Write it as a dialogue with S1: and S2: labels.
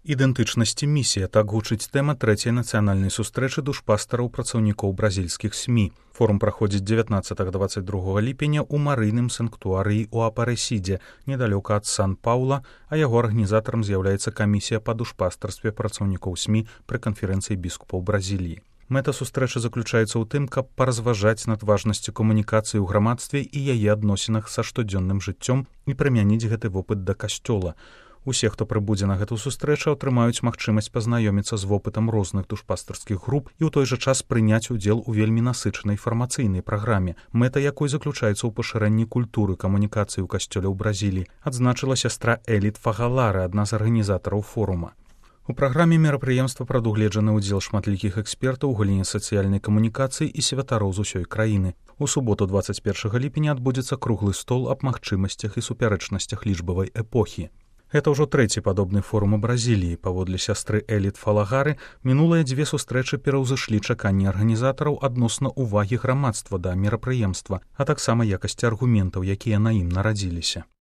S1: Ідэнтычнасці місія, так гучыць тэма трэцяй нацыянальнай сустрэчы душпастараў працаўнікоў бразільскіх СМІ. Форум праходзіць 19-22 ліпеня ў марыйным санктуарыі ў Апарэсідзе, недалёка ад Сан-Паўла, а яго арганізатарам з'яўляецца камісія па душпастарстве працаўнікоў СМІ пры канферэнцыі біскупаў Бразіліі. Мэта сустрэчы заключаецца ў тым, каб паразважаць над важнасцю камунікацыі ў грамадстве і яе адносінах са штодзённым жыццём і прымяніць гэты вопыт да касцёла. Усе, хто прыбудзе на гэту сустрэчу, атрымаюць магчымасць пазнаёміцца з вопытам розных душпастарскіх груп і ў той жа час прыняць удзел у вельмі насычанай фармацыйнай праграме, мэта якой заключаецца ў пашырэнні культуры камунікацыі ў касцёле ў Бразіліі, адзначыла сястра Эліт Фагалары, адна з арганізатараў форума. У праграме мерапрыемства прадугледжаны ўдзел шматлікіх экспертаў у галіне сацыяльнай камунікацыі і святароў з усёй краіны. У суботу 21 ліпеня адбудзецца круглы стол аб магчымасцях і супярэчнасцях лічбавай эпохі. Гэта ўжо трэці падобны форум у Бразіліі. Паводле сястры Эліт Фалагары, мінулыя дзве сустрэчы пераўзышлі чаканні арганізатараў адносна ўвагі грамадства да мерапрыемства, а таксама якасці аргументаў, якія на ім нарадзіліся.